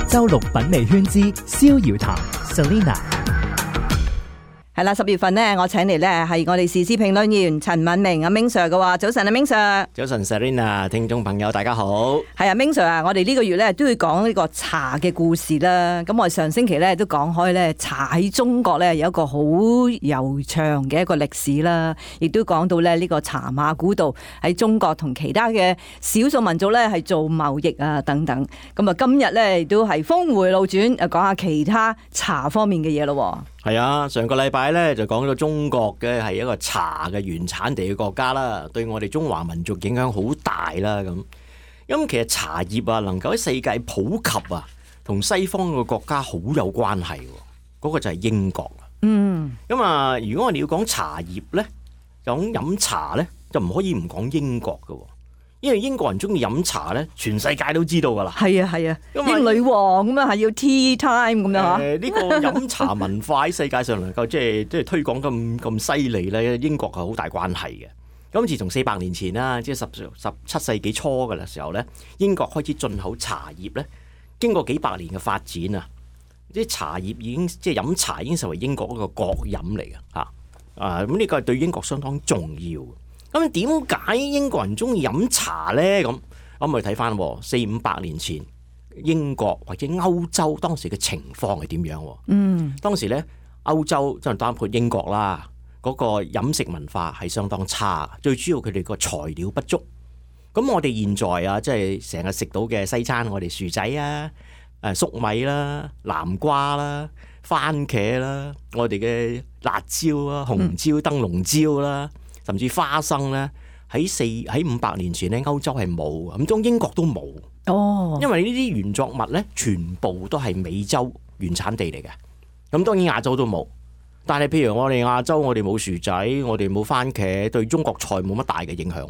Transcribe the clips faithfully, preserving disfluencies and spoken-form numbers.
周六品味圈之逍遙談 Selina。係啦，十月份呢，我請嚟呢係我哋時事評論員陳敏明阿 Ming Sir 嘅話，早晨阿 Ming Sir。早晨 Selina， 聽眾朋友大家好。係啊 Ming Sir啊，我哋呢個月呢都要講呢個茶嘅故事啦。咁我哋上星期呢都講開呢，茶喺中國呢有一個好悠長嘅一個歷史啦，亦都講到呢呢個茶馬古道喺中國同其他嘅少數民族呢係做貿易啊等等。咁啊今日呢都係峰回路轉，誒講下其他茶方面嘅嘢咯。係啊，上個禮拜咧就講到中國嘅係一個茶嘅原產地嘅國家啦，對我哋中華民族影響好大啦咁。咁其實茶葉啊，能夠喺世界普及啊，同西方嘅國家好有關係。嗰個就係英國。嗯。咁啊，如果我哋要講茶葉咧，講飲茶咧，就唔可以唔講英國㗎。因為英國人中意飲茶咧，全世界都知道噶啦。係啊係啊，英女王咁樣係要 tea time 咁樣嚇。誒呢個飲茶文化喺世界上能夠即係即係推廣咁咁犀利咧，英國係好大關係嘅。咁自從四百年前啦，即係十十七世紀初嘅時候咧，英國開始進口茶葉咧，經過幾百年嘅發展啊，啲茶葉已經即係飲茶已經成為英國一個國飲嚟嘅嚇。啊咁呢個係對英國相當重要。咁點解英國人中意飲茶呢？咁我咪睇翻四五百年前英國或者歐洲當時嘅情況係點樣？嗯，當時呢，歐洲即係包括英國啦，嗰個飲食文化係相當差，最主要佢哋個材料不足。咁我哋現在啊，即係成日食到嘅西餐，我哋薯仔啊、誒粟米啦、南瓜啦、番茄啦，我哋嘅辣椒啦、紅椒、燈籠椒啦。甚至花生咧，喺四喺五百年前咧，歐洲係冇，咁當英國都冇。哦，因為呢啲原作物咧，全部都係美洲原產地嚟嘅。咁當然亞洲都冇，但係譬如我哋亞洲，我哋冇薯仔，我哋冇番茄，對中國菜冇乜大嘅影響。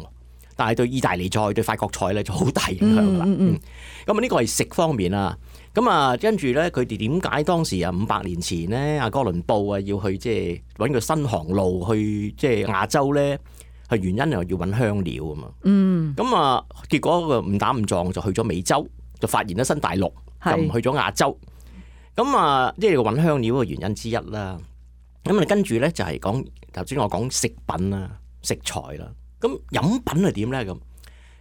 但係對意大利菜、對法國菜咧就好大影響㗎啦。嗯，咁啊呢個係食方面啊。咁啊跟住咧，佢哋點解當時啊五百年前咧，阿哥倫布啊要去即係揾個新航路去即係亞洲咧？係原因又要揾香料啊嘛。嗯。咁啊，結果個誤打誤撞就去咗美洲，就發現咗新大陸，就唔去咗亞洲。咁啊，即係揾香料嘅原因之一啦。咁啊，跟住咧就係講頭先我講食品啦、食材啦。咁飲品係點咧？咁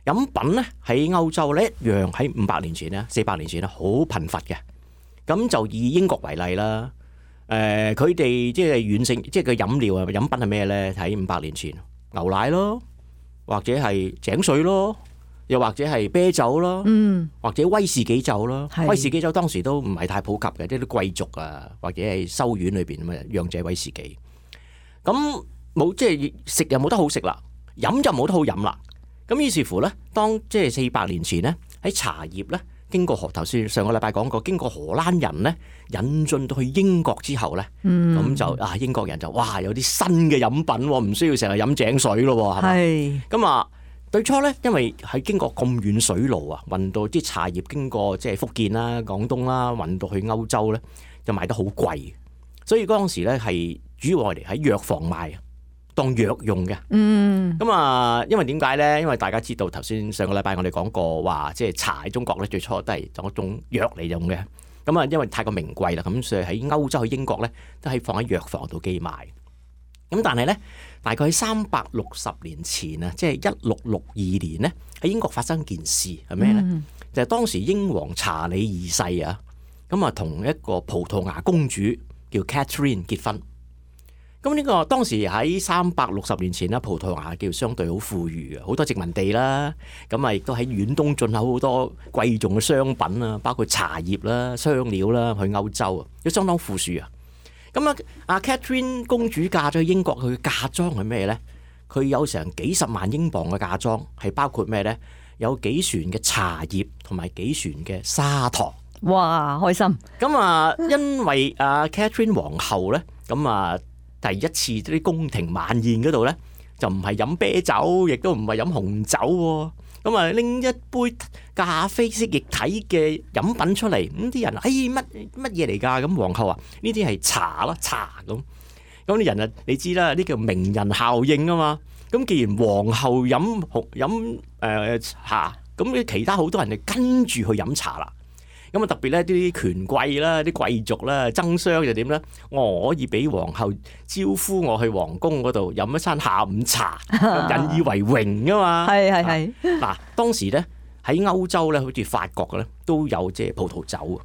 飲品咧喺歐洲咧一樣喺五百年前咧、四百年前咧好貧乏嘅。咁就以英國為例啦。誒、呃，佢哋即係軟性，即係個飲料啊，飲品係咩咧？喺五百年前，牛奶咯，或者係井水咯，又或者係啤酒咯，嗯，或者威士忌酒咯。威士忌酒當時都唔係太普及嘅，啲啲貴族啊，或者係修院裏邊咁啊，釀製威士忌。咁冇即係食又冇得好食啦。飲就冇得好飲啦，咁於是乎咧，當即係四百年前咧，喺茶葉咧經過荷頭先上個禮拜講過，經過荷蘭人咧引進到去英國之後咧，咁、嗯、就啊英國人就哇有啲新嘅飲品，唔需要成日飲井水咯，係咪？咁啊，最初咧，因為喺經過咁遠水路啊，運到啲茶葉經過即係福建啦、廣東啦，運到去歐洲咧，就賣得好貴，所以嗰陣時咧係主要我哋喺藥房賣。當藥用嘅，嗯，咁啊，因為點解咧？因為大家知道頭先上個禮拜我哋講過話，即係茶喺中國咧最初都係當一種藥嚟用嘅，咁啊，因為太過名貴啦，咁所以喺歐洲、喺英國咧都係放喺藥房度寄賣。咁但係咧，大概喺三百六十年前啊，即係一六六二年咧，喺英國發生件事係咩咧？嗯、就係當時英皇查理二世啊，咁啊同一個葡萄牙公主叫 Catherine 結婚。咁呢個當時喺三百六十年前啦，葡萄牙叫相對好富裕嘅，好多殖民地啦，咁啊亦都喺遠東進口好多貴重嘅商品啊，包括茶葉啦、香料啦，去歐洲啊，都相當富庶啊。咁啊，阿 Catherine 公主嫁咗去英國，佢嘅嫁妝係咩咧？佢有成幾十萬英鎊嘅嫁妝，係包括咩咧？有幾船嘅茶葉同埋幾船嘅砂糖。哇，開心！咁啊，因為阿 Catherine 皇后咧，咁啊。第一次啲宮廷晚宴嗰度咧，就唔係飲啤酒，亦都唔係飲紅酒喎。咁啊，拎一杯咖啡色液體嘅飲品出嚟，咁啲人哎乜乜嘢嚟㗎？咁皇后話呢啲係茶咯，茶咁。咁啲人啊，你知啦，呢叫名人效應啊嘛。咁既然皇后飲紅飲誒茶，咁其他好多人就跟住去飲茶啦。咁啊特別咧啲權貴啦、啲貴族啦爭相就點咧？我可以俾皇后招呼我去皇宮嗰度飲一餐下午茶，引以為榮啊嘛。係係係。嗱，當時咧喺歐洲咧，好似法國嘅咧都有即係葡萄酒，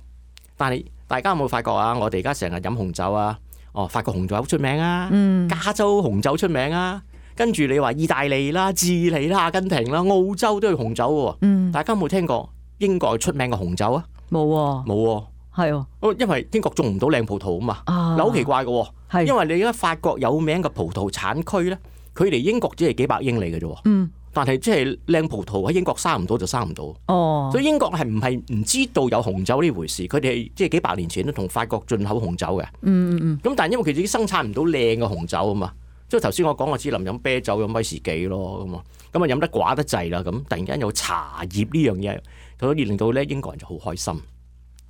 但係大家有冇發覺啊？我哋而家成日飲紅酒啊，哦，法國紅酒好出名啊，嗯，加州紅酒出名啊。跟住你話意大利啦、智利啦、阿根廷啦、澳洲都有紅酒喎。嗯，大家有冇聽過英國出名嘅紅酒啊？冇喎，冇喎，係喎，因為英國種唔到靚葡萄啊嘛。啊，嗱，好奇怪嘅喎，係，因為你而家法國有名嘅葡萄產區咧，佢離英國只係幾百英里嘅啫。嗯，但係即係靚葡萄喺英國生唔到就生唔到。哦，所以英國係唔係唔知道有紅酒呢回事？佢哋即係幾百年前都同法國進口紅酒嘅。嗯嗯嗯。咁但係因為佢自己生產唔到靚嘅紅酒啊嘛。即係頭先我講，我只能飲啤酒、飲威士忌咯，咁啊，咁啊飲得寡得滯啦，咁突然間有茶葉呢樣嘢，所以令到咧英國人就好開心。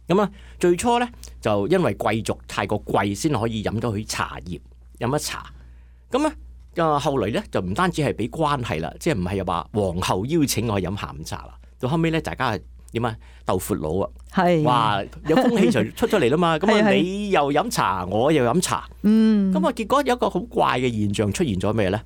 咁啊，最初咧就因為貴族太過貴，先可以飲到佢茶葉，飲一茶。咁咧啊，後來咧就唔單止係俾關係啦，即係唔係又話皇后邀請我去飲下午茶啦。到後尾咧，大家係點啊？鬥闊佬啊！係，哇！有風氣就出咗嚟啦嘛，咁啊係你又飲茶，我又飲茶，嗯，咁啊結果有一個好怪嘅現象出現咗咩咧？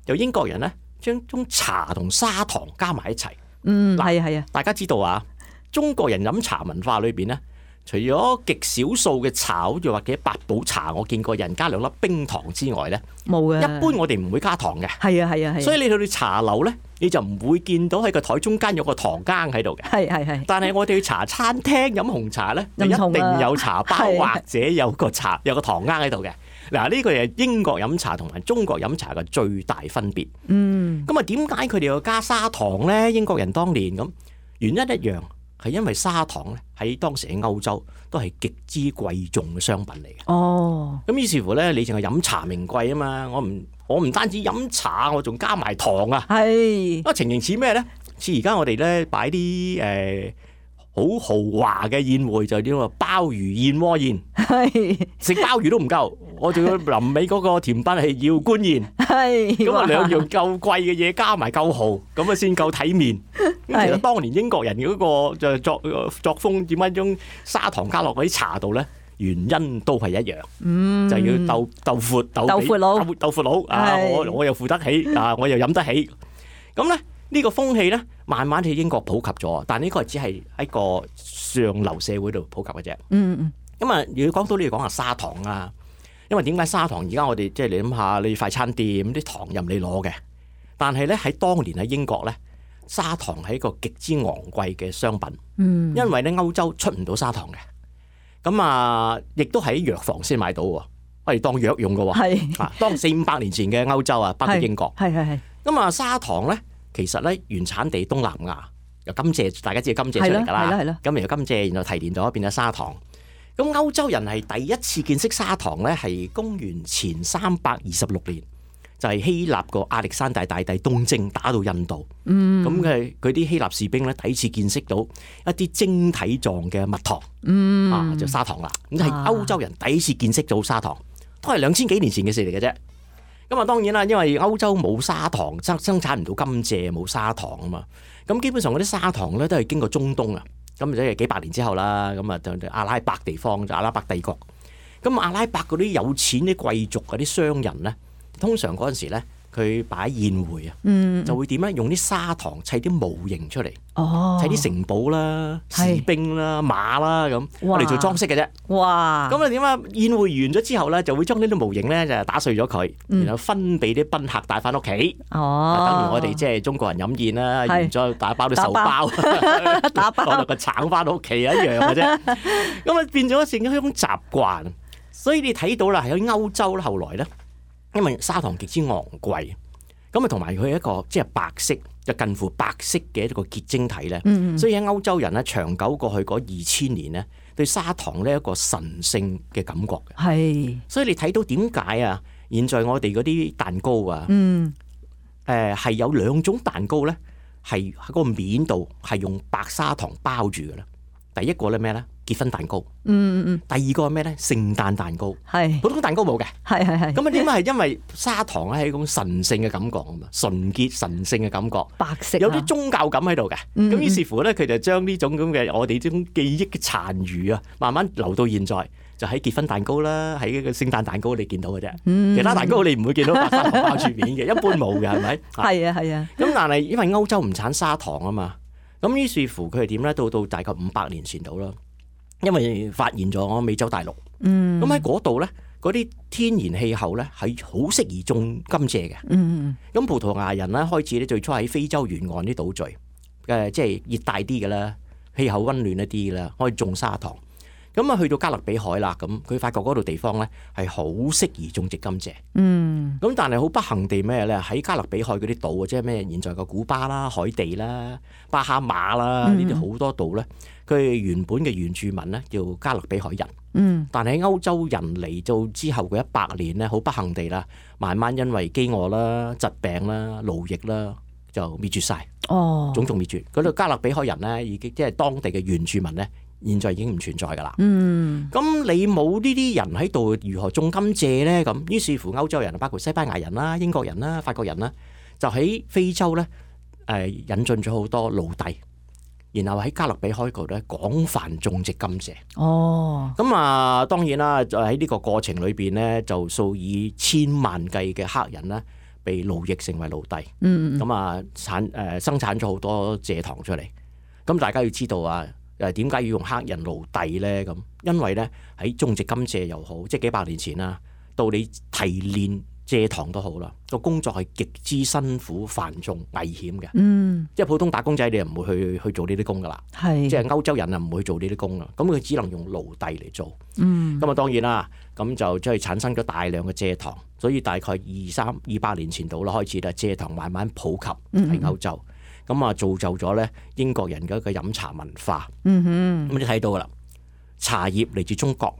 由英國人咧將將茶同砂糖加埋一齊。嗯，係啊係啊，大家知道啊，中國人飲茶文化裏邊咧，除咗極少數嘅茶，好似或者八寶茶，我見過人加兩粒冰糖之外咧，冇嘅。一般我哋唔會加糖嘅。係啊係啊係。所以你去到茶樓咧，你就唔會見到喺個台中間有個糖羹喺度嘅。係係係。但係我哋去茶餐廳飲紅茶咧，就一定有茶包或者有個茶有個糖羹喺度嘅。嗱，呢個係英國飲茶同埋中國飲茶嘅最大分別。嗯。咁啊，點解佢哋要加砂糖咧？英國人當年咁原因一樣，係因為砂糖咧喺當時喺歐洲都係極之貴重嘅商品嚟嘅。哦。咁於是乎咧，你淨係飲茶名貴啊嘛，我唔我唔單止飲茶，我仲加埋糖啊。係。啊，情形似咩咧？似而家我哋咧擺啲誒好豪華嘅宴會，就叫做鮑魚燕窩宴。係。食鮑魚都唔夠，我仲要臨尾嗰個甜品係要官燕。係。咁啊，兩樣夠貴嘅嘢加埋夠豪，咁啊先夠體面。咁其實當年英國人嗰個就作作風點解將砂糖加落嗰啲茶度咧？原因都係一樣，嗯、就要鬥鬥闊鬥鬥闊佬，鬥闊佬啊！我我又付得起啊，我又飲得起。咁咧呢個風氣咧，慢慢喺英國普及咗，但呢個只係喺個上流社會度普及嘅啫。嗯嗯。咁啊，如果講到呢，講下砂糖啊，因為點解砂糖而家我哋即係你諗下，你快餐店啲糖任你攞嘅，但係咧喺當年喺英國咧，砂糖係一個極之昂貴嘅商品。嗯。因為咧歐洲出唔到砂糖嘅。咁啊，亦都喺藥房先買到喎，我哋當藥用嘅喎。係啊，當四五百年前嘅歐洲啊，包括英國。係係係。咁啊，砂糖咧，其實咧原產地東南亞，由甘蔗，大家知道甘蔗出嚟㗎啦。係啦係啦。咁由甘蔗，然後提煉咗變咗砂糖。咁歐洲人係第一次見識砂糖咧，係公元前三百二十六年。就係希臘個亞歷山大大帝東征打到印度，咁嘅佢啲希臘士兵咧第一次見識到一啲晶體狀嘅蜜糖，嗯、啊就砂糖啦。咁係歐洲人第一次見識到砂糖，都係兩千幾年前嘅事嚟嘅啫。咁啊當然啦，因為歐洲冇砂糖生生產唔到甘蔗，冇砂糖啊嘛。咁基本上嗰啲砂糖咧都係經過中東啊，咁即係幾百年之後啦。咁啊就阿拉伯地方就阿拉伯帝國。咁阿拉伯嗰啲有錢啲貴族嗰啲商人咧。通常嗰陣時咧，佢擺宴會啊，嗯、就會點咧？用啲砂糖砌啲模型出嚟，哦、砌啲城堡啦、士兵啦、馬啦咁，我哋做裝飾嘅啫。哇！咁啊點啊？宴會完咗之後咧，就會將呢啲模型咧就打碎咗佢，嗯、然後分俾啲賓客帶翻屋企。哦，等於我哋即係中國人飲宴啦，完咗打包啲壽包，打包攞落個橙翻屋企一樣嘅啫。咁啊變咗成咗一種習慣，所以你睇到啦，喺歐洲咧，後來咧。因為砂糖極之昂貴，咁啊同埋佢係一個即係白色，就近乎白色嘅一個結晶體咧，嗯嗯所以喺歐洲人咧長久過去嗰二千年咧，對砂糖呢一個神聖嘅感覺嘅。係，所以你睇到點解啊？現在我哋嗰啲蛋糕啊，嗯，誒係、呃、有兩種蛋糕咧，係喺個面度係用白砂糖包住嘅啦。第一個咧咩咧？結婚蛋糕。嗯嗯嗯。第二個係咩咧？聖誕蛋糕。係。普通蛋糕冇嘅。係係係。咁啊點解係因為砂糖咧係一種神聖嘅感覺啊嘛，純潔神聖嘅感覺。白色。有啲宗教感喺度嘅。咁、嗯、於是乎咧，佢就將呢種咁嘅我哋呢種記憶嘅殘餘啊，慢慢留到現在。就喺結婚蛋糕啦，喺個聖誕蛋糕你見到嘅啫，嗯、其他蛋糕你唔會見到白砂糖包住面嘅，一般冇嘅係咪？係啊係啊。咁但係因為歐洲唔產砂糖啊嘛，咁於是乎佢係點咧？到到大概五百年前度啦，因為發現咗美洲大陸，咁喺嗰度咧，嗰啲天然氣候咧係好適宜種甘蔗嘅。咁、嗯、葡萄牙人咧開始咧最初喺非洲沿岸啲島嶼，誒即係熱帶啲嘅啦，氣候溫暖一啲嘅啦，可以種砂糖。咁啊，去到加勒比海啦，咁佢發覺嗰度地方咧係好適宜種植甘蔗。嗯。咁但係好不幸地咩咧？喺加勒比海嗰啲島，即係咩？現在嘅古巴啦、海地啦、巴哈馬啦，呢啲好多島咧，佢原本嘅原住民咧叫加勒比海人。嗯。但係喺歐洲人嚟到之後嘅一百年咧，好不幸地啦，慢慢因為飢餓啦、疾病啦、奴役啦，就滅絕晒。哦。種族滅絕。嗰度加勒比海人咧，已經即係當地嘅原住民咧。現在已經唔存在㗎啦。嗯，咁你冇呢啲人喺度，如何種甘蔗咧？咁於是乎歐洲人，包括西班牙人啦、英國人啦、法國人啦，就喺非洲咧誒、呃、引進咗好多奴隸，然後喺加勒比海嗰度咧廣泛種植甘蔗。哦，咁啊當然啦，就喺呢個過程裏邊咧，就數以千萬計嘅黑人咧被奴役成為奴隸。嗯，咁啊產誒、呃、生產咗好多蔗糖出嚟。咁大家要知道啊。誒點解要用黑人奴隸咧？咁因為咧喺種植甘蔗又好，即係幾百年前啦，到你提煉蔗糖都好啦，個工作係極之辛苦、繁重、危險嘅。嗯，即係普通打工仔你又唔會去去做呢啲工噶啦。係，即係歐洲人啊唔會做呢啲工啦。咁佢只能用奴隸嚟做。嗯，咁啊當然啦，咁就即係產生咗大量嘅蔗糖，所以大概二三二百年前度啦開始啦，蔗糖慢慢普及喺歐洲。嗯咁啊，造就咗咧英國人嘅一個飲茶文化。嗯哼，咁你睇到噶啦，茶葉嚟自中國，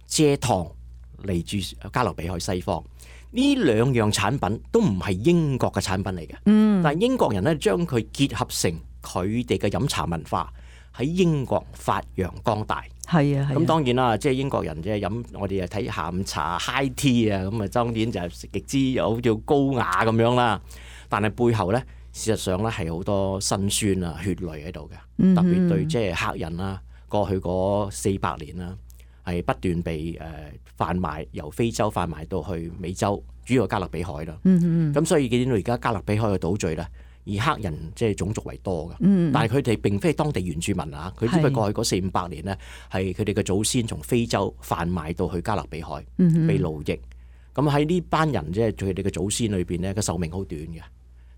蔗糖嚟自加勒比海西方。呢兩樣產品都唔係英國嘅產品嚟嘅。嗯，但係英國人咧將佢結合成佢哋嘅飲茶文化喺英國發揚光大。係啊，咁當然啦，即係英國人即係飲，我哋又睇下午茶 high tea 啊，咁啊當然就係極之有叫高雅咁樣啦。但係背後咧，事實上咧係好多辛酸啊、血淚喺度嘅，嗯、特別對即係黑人啦，過去嗰四百年啦，係不斷被誒販賣，由非洲販賣到去美洲，主要加勒比海啦。咁、嗯嗯、所以見到而家加勒比海嘅島嶼咧，以黑人即係種族為多嘅，嗯、但係佢哋並非當地原住民啊，佢只不過過去嗰四五百年咧，係佢哋嘅祖先從非洲販賣到去加勒比海，嗯、被奴役。咁喺呢班人即係佢哋嘅祖先裏邊咧，個壽命好短嘅。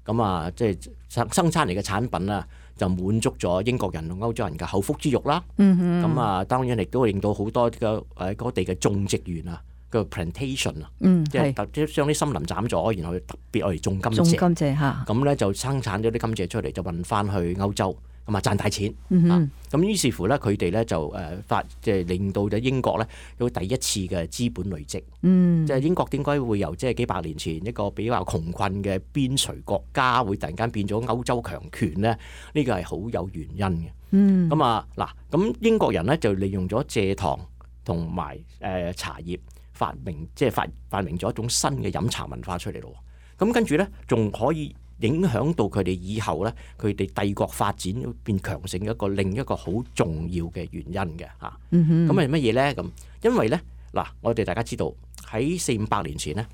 咁啊，即係生生產嚟嘅產品啊，就滿足咗英國人同歐洲人嘅口腹之欲啦。咁、嗯、啊，當然亦都令到好多嘅誒嗰地嘅種植園啊，個 plantation 啊、嗯，即係特即係將啲森林斬咗，然後特別愛嚟種甘蔗。種甘蔗嚇。咁咧就生產咗啲甘蔗出嚟，就運翻去歐洲，咁啊賺大錢。嗯、啊，咁於是乎咧，佢哋咧就誒發即係令到咗英國咧有第一次嘅資本累積。嗯，即係英國點解會由即係幾百年前一個比較窮困嘅邊陲國家，會突然間變咗歐洲強權咧？呢個係好有原因嘅。嗯，咁啊嗱，咁英國人咧就利用咗蔗糖同埋誒茶葉發明，即係發發明咗一種新嘅飲茶文化出嚟咯。咁跟住咧，仲可以影響到佢哋以後咧，佢哋帝國發展變強盛嘅一個另一個好重要嘅原因嘅嚇。咁係乜嘢咧？咁因為咧嗱，我哋大家知道。喺四五百年前咧，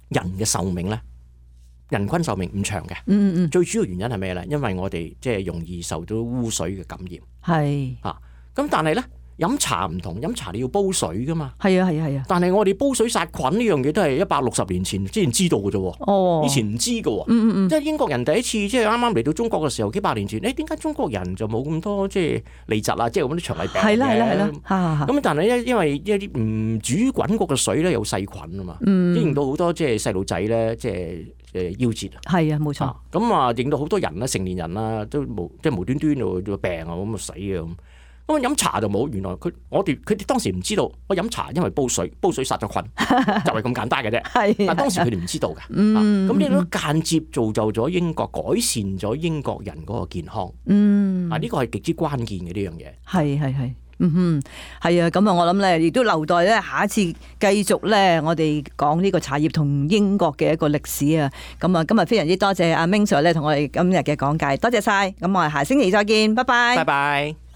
人嘅壽命咧，人均壽命唔長嘅。嗯嗯。最主要原因係咩咧？因為我哋即係容易受到污水嘅感染。係。啊，咁但係咧，飲茶唔同，飲茶你要煲水噶嘛。係啊係啊係啊。但係我哋煲水殺菌呢樣嘢都係一百六十年前之前知道嘅啫。哦。以前唔知嘅喎。嗯嗯嗯。即係英國人第一次即係啱啱嚟到中國嘅時候，幾百年前，誒點解中國人就冇咁多即係痢疾啊，即係咁啲腸胃病嘅？係啦係啦係啦。嚇咁但係咧，因為一啲唔煮滾過嘅水咧有細菌啊嘛，嗯、令到好多即係細路仔咧即係誒夭折。係啊，冇錯。咁啊，令到好多人啦，成年人啦，都無即係無端端就病啊，咁啊死啊咁。咁飲茶就冇，原來佢我哋佢哋當時唔知道，我飲茶因為煲水，煲水殺咗菌，就係咁簡單嘅啫。係，但當時佢哋唔知道嘅。嗯，咁呢個間接造就咗英國改善咗英國人嗰個健康。嗯，啊呢個係極之關鍵嘅呢樣嘢。係係係。嗯哼，係啊，咁啊，我諗咧，亦都留待咧下一次繼續咧，我哋講呢個茶葉同英國嘅一個歷史啊。咁啊，今日非常之多謝阿 Ming Sir 咧同我哋今日嘅講解，多謝晒。咁我哋下星期再見，拜拜。拜拜。